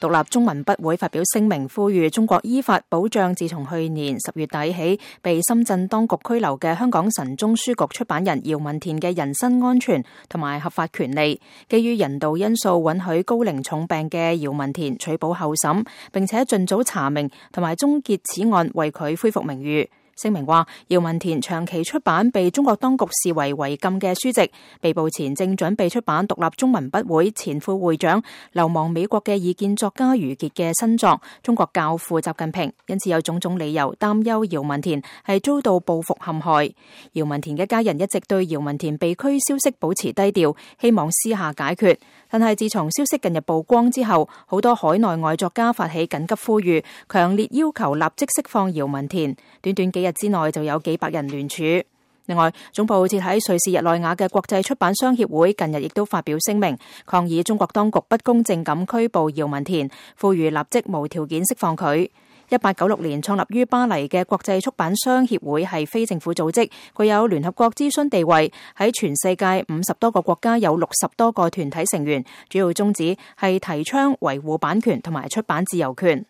獨立中文筆會發表聲明，呼籲中國依法保障自從去年10月底起被深圳當局拘留嘅香港神中書局出版人姚文田嘅人身安全同埋合法權利，基於人道因素允許高齡重病嘅姚文田取保候審，並且盡早查明同埋終結此案，為佢恢復名譽。聲明話，姚文田長期出版被中國當局視為違禁嘅書籍，被捕前正準備出版獨立中文筆會前副會長流亡美國嘅異見作家余傑嘅新作《中國教父習近平》，因此有種種理由擔憂姚文田係遭到報復陷害。姚文田嘅家人一直對姚文田被拘消息保持低調，希望私下解決。但係自從消息近日曝光之後，好多海內外作家發起緊急呼籲，強烈要求立即釋放姚文田。短短幾日之內就有幾百人聯署。另外，總部設喺瑞士日內瓦嘅國際出版商協會近日亦都發表聲明，抗議中國當局不公正咁拘捕姚文田，呼籲立即無條件釋放佢。1896年創立於巴黎嘅國際出版商協會係非政府組織，具有聯合國諮詢地位，喺全世界50多個國家有60多個團體成員，主要宗旨係提倡維護版權同埋出版自由權。